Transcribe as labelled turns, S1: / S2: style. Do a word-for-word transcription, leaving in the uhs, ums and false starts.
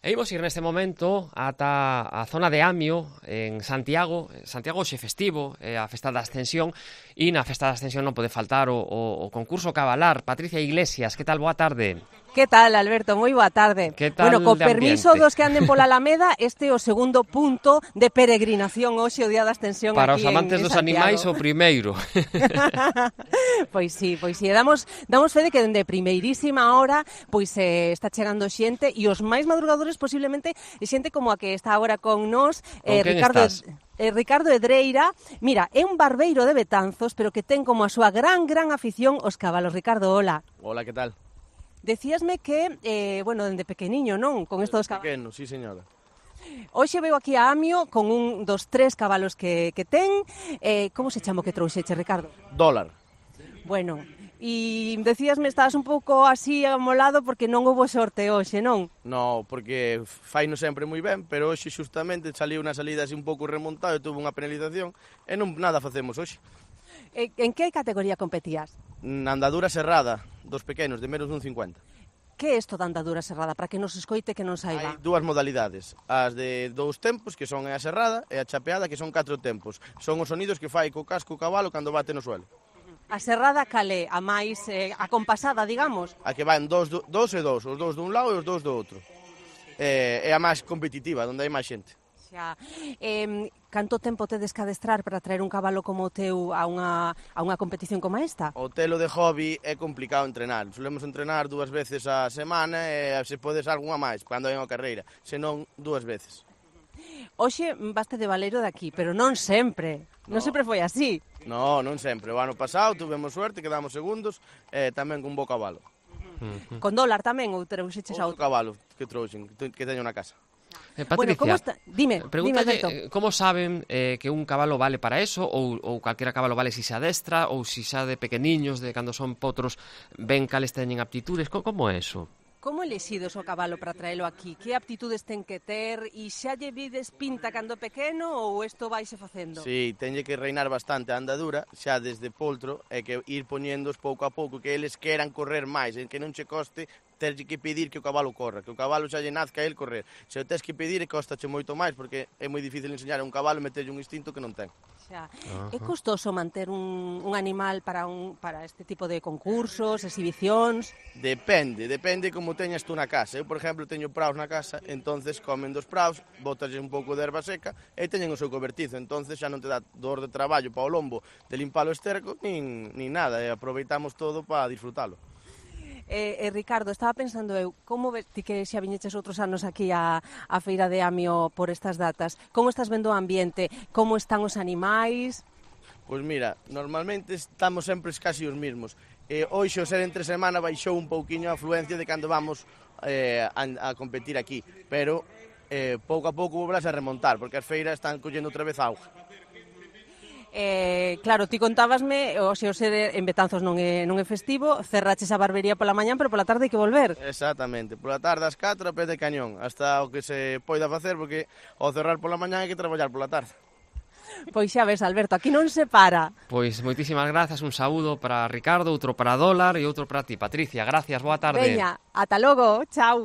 S1: E imos ir neste momento ata a zona de Amio, en Santiago. Santiago xe festivo, é a Festa da Ascensión, e na Festa da Ascensión non pode faltar o, o, o concurso Cabalar. Patricia Iglesias, que tal? Boa tarde.
S2: Que tal, Alberto? Moi boa tarde.
S1: Que tal?
S2: Bueno, co permiso dos que anden pola Alameda, este é o segundo punto de peregrinación hoxe o Día da Ascensión
S1: Para
S2: aquí
S1: os amantes
S2: en, en
S1: dos
S2: Santiago.
S1: animais, o primeiro.
S2: Pois sí, pois sí. Damos, damos fe de que dende primeirísima hora pois eh, está chegando xente, e os máis madrugadores posiblemente xente como a que está agora con nós,
S1: eh,
S2: Ricardo...
S1: estás?
S2: Eh, Ricardo Edreira. Mira, é un barbeiro de Betanzos, pero que ten como a súa gran, gran afición os cabalos. Ricardo, hola.
S3: Hola, que tal?
S2: Decíasme que, eh, bueno, dende pequeniño, non? Con estos dos cabalos.
S3: Pequeno, sí, señora.
S2: Hoxe veo aquí a Amio con un dos tres cabalos que, que ten. Eh, como se chama o que trouxeche, Ricardo?
S3: Dólar.
S2: Bueno, e decíasme, estabas un pouco así amolado porque non houve sorte hoxe, non?
S3: No, porque faino sempre moi ben, pero hoxe xustamente saliu unha salida así un pouco remontado e tuvo unha penalización e non nada facemos hoxe.
S2: Eh, en que categoría competías?
S3: Na andadura serrada dos pequenos, de menos dun cincuenta.
S2: Que é isto da andadura serrada? Para que nos escoite, que non saiba.
S3: Hai dúas modalidades, as de dous tempos, que son a serrada, e a chapeada, que son catro tempos. Son os sonidos que fai co casco o cabalo cando bate no suelo.
S2: A serrada calé, a máis eh, acompasada, digamos.
S3: A que van dos, dos e dos, os dous dun lado e os dous do outro. É, é a máis competitiva, onde hai máis xente.
S2: Xa. Eh, canto tempo tedes que adestrar para traer un cabalo como o teu a unha, a unha competición como esta?
S3: O telo de hobby é complicado entrenar. Solemos entrenar dúas veces a semana e se podes algunha máis, cando hai unha carreira. Senón, dúas veces.
S2: Hoxe vaste de baleiro de aquí, pero non sempre. Non
S3: No.
S2: sempre foi así.
S3: No, non sempre. O ano pasado tuvemos suerte, quedamos segundos, e tamén con bo cabalo.
S1: Uh-huh.
S2: Con dólar tamén, ou trouxeches a
S3: Outro
S2: outro?
S3: cabalo que trouxen, que teño na casa.
S1: Eh,
S2: Bueno,
S1: Patricia,
S2: como está? Dime, dime,
S1: pregúntalle,
S2: Alberto.
S1: eh, como saben eh, que un cabalo vale para eso, ou, ou calquera cabalo vale si se adestra, ou si xa de pequeniños, de cando son potros, ven cales teñen aptitudes, co- como é eso?
S2: Como elixides o cabalo para traelo aquí? Que aptitudes ten que ter? E xa lle vides pinta cando pequeno ou isto vaise facendo?
S3: Si, teñe que reinar bastante a andadura, xa desde poltro, e que ir poñéndoos pouco a pouco, que eles queran correr máis, en que non che coste terlle que pedir que o cabalo corra, que o cabalo xa lle nazca a el correr. Se o tes que pedir, costache moito máis, porque é moi difícil enseñar a un cabalo e meterlle un instinto que non ten.
S2: Xa. É custoso manter un, un animal para un para este tipo de concursos, exhibicións?
S3: Depende, depende como teñas tú na casa. Eu, por exemplo, teño praos na casa, entonces comen dos praos, botaslle un pouco de erva seca e teñen o seu cobertizo, entonces xa non te dá dor de traballo para o lombo de limpar o esterco, nin, nin nada, e aproveitamos todo para disfrutalo.
S2: Eh, eh, Ricardo, estaba pensando eu, como ves ti que xa viñeches outros anos aquí a, a Feira de Amio por estas datas? Como estás vendo o ambiente? Como están os animais?
S3: Pois mira, normalmente estamos sempre casi os mesmos. Eh, hoxe, o ser entre semana, baixou un pouquiño a afluencia de cando vamos eh, a, a competir aquí, pero eh, pouco a pouco volverás a remontar, porque as feiras están collendo outra vez auga.
S2: Eh, claro, ti contábasme, o se o ser en Betanzos non é, non é festivo, cerraches a barbería pola mañán, pero pola tarde hai que volver.
S3: Exactamente, pola tarde ás catro a pé de cañón, hasta o que se poida facer, porque ao cerrar pola mañán hai que traballar pola tarde.
S2: Pois xa ves, Alberto, aquí non se para.
S1: Pois moitísimas grazas, un saúdo para Ricardo, outro para Dólar e outro para ti, Patricia. Gracias, boa tarde.
S2: Veña, ata logo, chao.